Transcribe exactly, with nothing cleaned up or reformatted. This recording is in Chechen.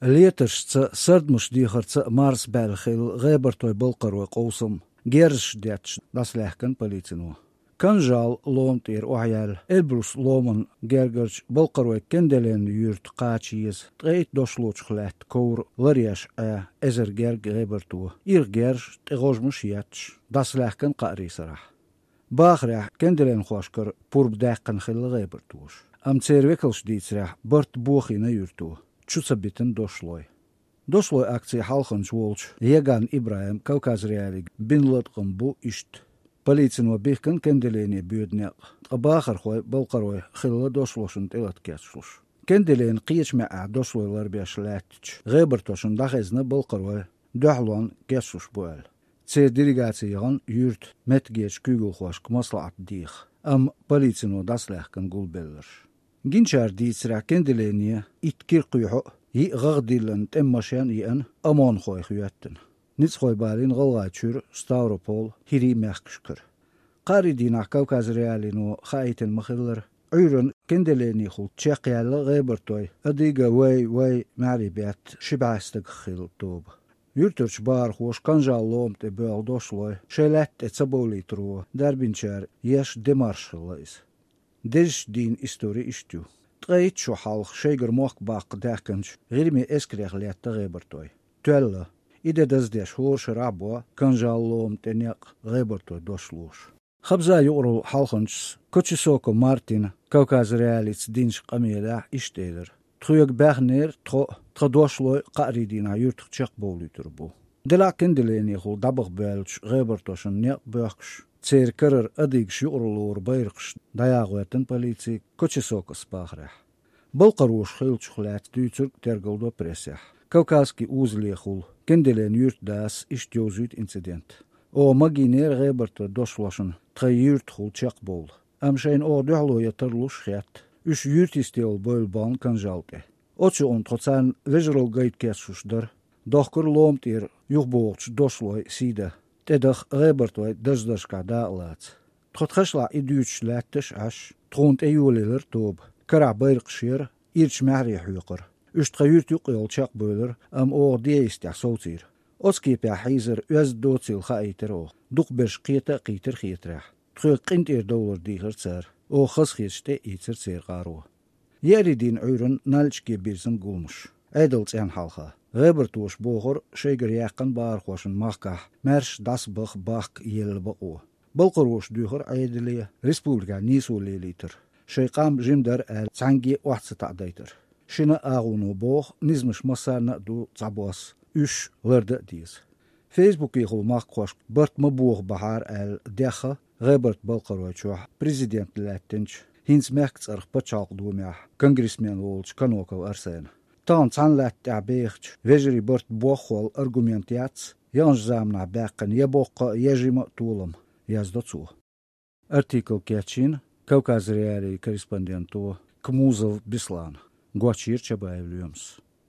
Летаршца, сардамаш дехарца марсабаьлла хилла гӀебартойн, балкхаройн къовсам герзаш детташ дӀасалаьхкина полицино. Канжал лома тӀера охьаяьлла Эльбрус ломан гергарчу балкхаройн Кенделен юьрта кхача еза ткъе итт дошлочух лаьтта ковра ларъеш Ӏа эзар герга гӀебарто, ирх герзаш, тӀе гӀожмаш а етташ, дӀасалаьхкина кхаарийн сарахь. Бахарехь, кенделенхошкара пурба даьккхина хилла гӀебартоша. Амма церан векалша дийцарехь, барт бохийна юьрто, чу ца битина дошлой. Дошлойн акцин хьалханча волчу Яган ИбрахӀима Кавказ.Реалиига бина латкъам бу иштта: полицино бихкина Кенделене боьду некъ, ткъа бахархой, балкхарой хилла дошлошна тӀелата кечлуш. Кенделенан кхечу маьӀӀехь дошлой ларбеш лаьттачу гӀебартошна дӀахезна балкхарой, дуьхьалонна кечлуш бу аьлла. Церан делегаци яхана юьртан меттигерчу куьйгалхошка маслаӀат деха, амма полицино дӀасалаьхкина гулбелларш. Гинчара дийцарехь, Кенделене итт кира кхоьхьу а, йиъ гӀагӀ диллина тӀеман машен а еана, ОМОНхой хӀоьттина. Ницкъахой балийна ГӀалгӀайчуьра, Ставрополан, ХӀирийн мехкашкара. Кхаарийн дийнахь Кавказ.Реалиино хаийтина ма-хиллара, Ӏуьйранна Кенделенехула чекхъяьлла гӀебартойн «Адыга вай, вай» маьхьарий бетта ши бӀе стагах хилла тоба. Юьртарчу бахархоша Канжал лома тӀе боьлху дошлой шайн лаьтта тӀе ца бовлийтаро дарбинчара еш демарш хилла иза. Дезачу дийнан истори иштта ю. Ткъе итт шо хьалха шайгара мохк баккха даьхкинчу ГӀирме эскарех летта гӀебартой. Тоьлла. И де даздеш хӀора шарахь бо Канжал лома тӀе некъ гӀебартойн дошлоша. Хабзан юкъаралла хьалханчас Кочесоко Мартина Кавказ.Реалиица динчу къамелехь иштта элира: «Тхоьга баьхнера тхо а, тхан дошлой а кхаарийн дийнахь юьртах чекхбовлуьйтур бу». Делахь а Кенделенехула дӀабаха боьллачу гӀебартошна некъ боьхкуш, церан карара адыгаш юкъараллора байракхаш дӀаягӀоьттина полици Кочесокос бахарехь. Балкхароша хиллачух лаьцна дуьйцург тергалдо прессехь. Кавказский узелехула Кенделен юьртан дас иштта йовзуьйту инцидент: «Оха магийнера гӀебартойн дошлошна тхайн юьртахула чекхбовла, амма шайна оха дуьхьало ян тарлуш хетта, уьш юьртан йистехула бевлла бахна Канжал тӀе. Оцу юкъана тхо царна вежаралла гайта кечлуш дара. Дохкура лома тӀера юхабогӀучу дошлойн сий дан, тӀедаха гӀебартойн дарждаршкахь дакъа лаца. Тхо тхашлахь и дуьйцуш лаьтташ а Ӏаш, тхуна тӀе йолаелира тоба, карахь байракхаш яра, ирча маьхьарий хьоькхура. Уьш тхан юьрта юккъе йолу чекхбевлира, амма оха ден йистехь совцийра. Оцу кепехь хьийзар оьзда доцийла хаийтира оха. Дукхахберш кхета а кхийтира хетарехь. Тхоьга къинтӀера довлар дийхира цара. Оха хазахеташ тӀе а ийцира церан гӀаро». Еарин дийнан Ӏуьйранна Нальчике бирзина гуламаш. Ӏедалан цӀенна хьалха. ГӀебартоша бохура, шайгара яьккхина бахархошна махкахь маьрша дӀасабаха бахка елла бакъо. Балкхароша дуьйхира Ӏедале республикехь нийсо лелийтар, шайн къам жима дара аьлла, цхьаьнгге а охьа ца таӀадайтар. Шина а агӀоно боху, низамаш массарна а ду цхьабосса, уьш лардан а деза. Фейсбукехула махкахошка барт ма бохабахьара аьлла дехха гӀебарт Балкхаройчохь президент лаьттинчу, хӀинца мехкан цӀарах пачхьалкхан думехь конгрессмен волчу Каноков Арсена. Тахана цхьана латта тӀехь бехачу вежарийн барт боххула аргумент яц, яханчу заманахь баьккхина я боккха а, я жима а толам, яздо цо. Артикл кечйина Кавказ.Реалиин корреспонденто Кмузов Беслана, гочйира Чабаев Лоьмас.